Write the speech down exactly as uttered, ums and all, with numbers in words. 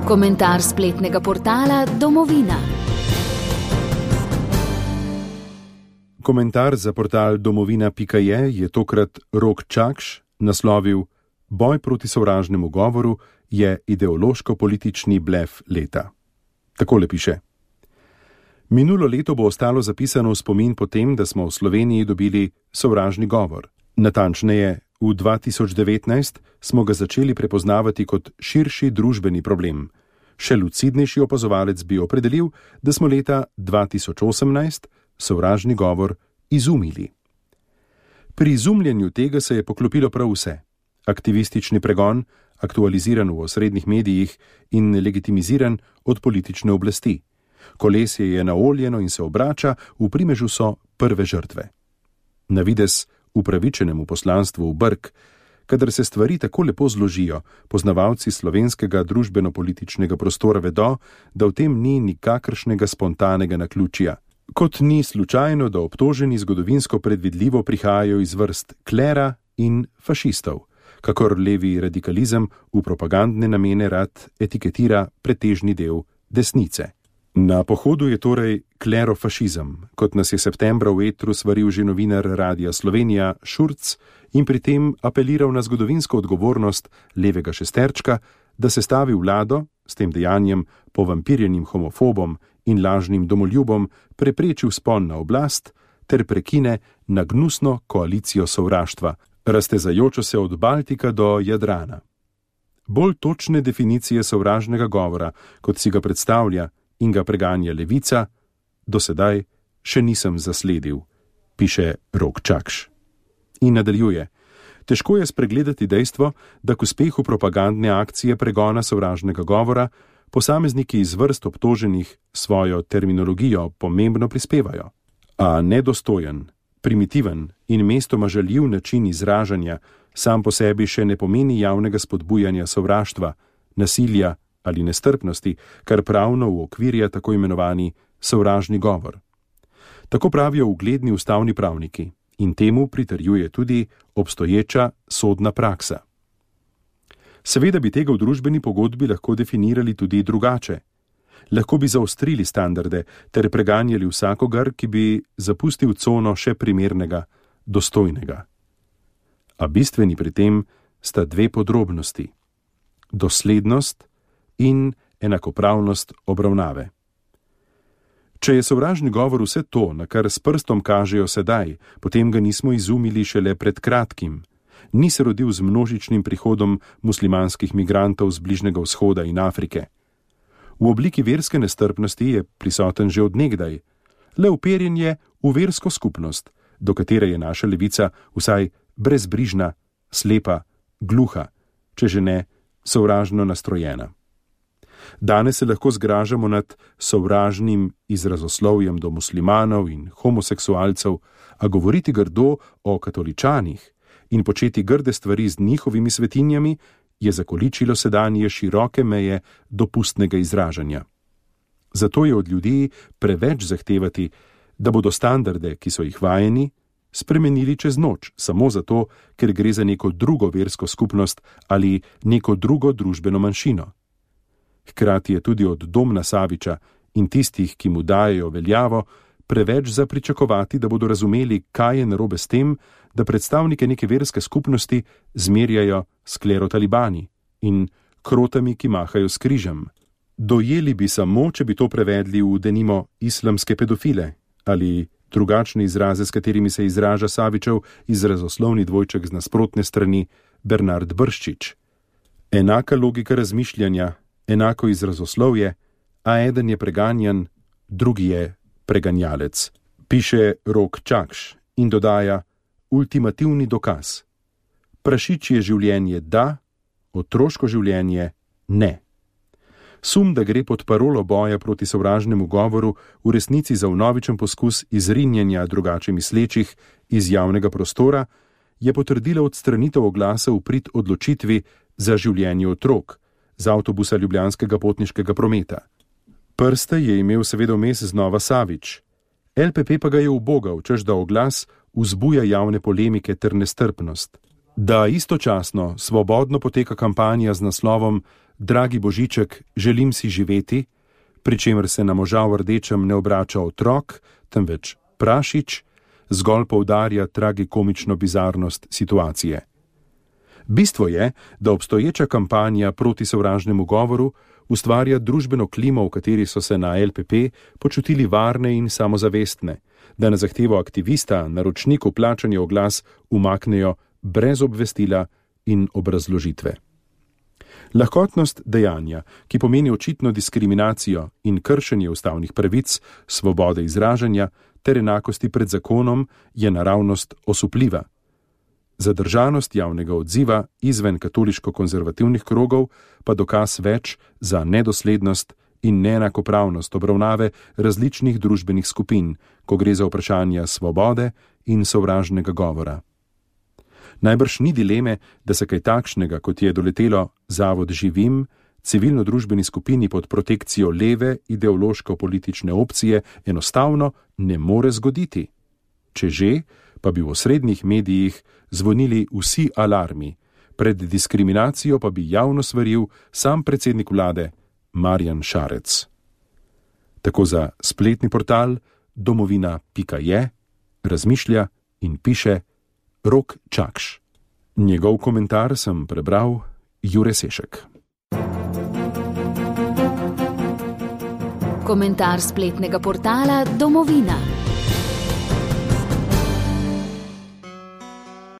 Komentar spletnega portala Domovina. Komentar za portal domovina pika je je tokrat Rok Čakš naslovil: Boj proti sovražnemu govoru je ideološko-politični blef leta. Takole piše: Minulo leto bo ostalo zapisano v spomin po tem, da smo v Sloveniji dobili sovražni govor. Natančneje, v dva tisoč devetnajst smo ga začeli prepoznavati kot širši družbeni problem. Še lucidnejši opazovalec bi opredelil, da smo leta dva tisoč osemnajst sovražni govor izumili. Pri izumljanju tega se je poklopilo prav vse. Aktivistični pregon, aktualiziran v osrednjih medijih in legitimiziran od politične oblasti. Kolesje je naoljeno in se obrača, v primežu so prve žrtve. Na videz upravičenemu poslanstvu v brk, kadar se stvari tako lepo zložijo, poznavalci slovenskega družbeno-političnega prostora vedo, da v tem ni nikakršnega spontanega naključja. Kot ni slučajno, da obtoženi zgodovinsko predvidljivo prihajajo iz vrst klera in fašistov, kakor levi radikalizem v propagandne namene rad etiketira pretežni del desnice. Na pohodu je torej klerofašizem, kot nas je septembra v etru svaril že novinar Radia Slovenija Šurc in pri tem apeliral na zgodovinsko odgovornost levega šesterčka, da se stavi vlado, s tem dejanjem povampirjenim homofobom in lažnim domoljubom prepreči vzpon na oblast ter prekine na gnusno koalicijo sovraštva, raztezajočo se od Baltika do Jadrana. Bolj točne definicije sovražnega govora, kot si ga predstavlja in ga preganja levica, do sedaj še nisem zasledil, piše Rok Čakš. In nadaljuje: Težko je spregledati dejstvo, da k uspehu propagandne akcije pregona sovražnega govora posamezniki iz vrst obtoženih svojo terminologijo pomembno prispevajo. A nedostojen, primitiven in mestoma žaljiv način izražanja sam po sebi še ne pomeni javnega spodbujanja sovraštva, nasilja ali nestrpnosti, kar pravno uokvirja tako imenovani sovražni govor. Tako pravijo ugledni ustavni pravniki in temu pritrjuje tudi obstoječa sodna praksa. Seveda bi tega v družbeni pogodbi lahko definirali tudi drugače. Lahko bi zaostrili standarde ter preganjali vsakogar, ki bi zapustil cono še primernega, dostojnega. A bistveni pri tem sta dve podrobnosti: doslednost in enakopravnost obravnave. Če je sovražni govor vse to, na kar s prstom kažejo sedaj, potem ga nismo izumili šele pred kratkim. Ni se rodil z množičnim prihodom muslimanskih migrantov z Bližnjega vzhoda in Afrike. V obliki verske nestrpnosti je prisoten že od nekdaj, le uperjen je v versko skupnost, do katere je naša levica vsaj brezbrižna, slepa, gluha, če že ne sovražno nastrojena. Danes se lahko zgražamo nad sovražnim izrazoslovjem do muslimanov in homoseksualcev, a govoriti grdo o katoličanih in početi grde stvari z njihovimi svetinjami je zakoličilo sedanje široke meje dopustnega izražanja. Zato je od ljudi preveč zahtevati, da bodo standarde, ki so jih vajeni, spremenili čez noč, samo zato, ker gre za neko drugo versko skupnost ali neko drugo družbeno manjšino. Hkrati je tudi od Domna Saviča in tistih, ki mu dajejo veljavo, preveč za pričakovati, da bodo razumeli, kaj je narobe s tem, da predstavnike neke verske skupnosti zmerjajo s klerotalibani in krotami, ki mahajo s križem. Dojeli bi samo, če bi to prevedli v denimo islamske pedofile ali drugačne izraze, s katerimi se izraža Savičev izrazoslovni dvojček z nasprotne strani Bernard Brščič. Enaka logika razmišljanja, enako izrazoslovje, a eden je preganjan, drugi je preganjalec, piše Rok Čakš in dodaja ultimativni dokaz. Prašičje življenje da, otroško življenje ne. Sum, da gre pod parolo boja proti sovražnemu govoru v resnici za vnovičen poskus izrinjanja drugače mislečih iz javnega prostora, je potrdila odstranitev oglasa v prid odločitvi za življenje otrok z avtobusa ljubljanskega potniškega prometa. Prste je imel seveda vmes znova Savič. L P P pa ga je ubogal, češ da oglas vzbuja javne polemike ter nestrpnost. Da istočasno svobodno poteka kampanja z naslovom Dragi Božiček, želim si živeti, pri čemer se na moža v rdečem ne obrača otrok, temveč prašič, zgolj poudarja tragikomično bizarnost situacije. Bistvo je, da obstoječa kampanja proti sovražnemu govoru ustvarja družbeno klimo, v kateri so se na L P P počutili varne in samozavestne, da na zahtevo aktivista naročniku plačanja oglas umaknejo brez obvestila in obrazložitve. Lahkotnost dejanja, ki pomeni očitno diskriminacijo in kršenje ustavnih pravic, svobode izražanja ter enakosti pred zakonom, je naravnost osupljiva. Zadržanost javnega odziva izven katoliško-konzervativnih krogov pa dokaz več za nedoslednost in neenakopravnost obravnave različnih družbenih skupin, ko gre za vprašanja svobode in sovražnega govora. Najbrž ni dileme, da se kaj takšnega, kot je doletelo Zavod Živim, civilno-družbeni skupini pod protekcijo leve ideološko-politične opcije, enostavno ne more zgoditi. Če že, pa bi v osrednjih medijih zvonili vsi alarmi, pred diskriminacijo pa bi javno svaril sam predsednik vlade Marjan Šarec. Tako za spletni portal domovina pika je razmišlja in piše Rok Čakš. Njegov komentar sem prebral Jure Sešek. Komentar spletnega portala Domovina.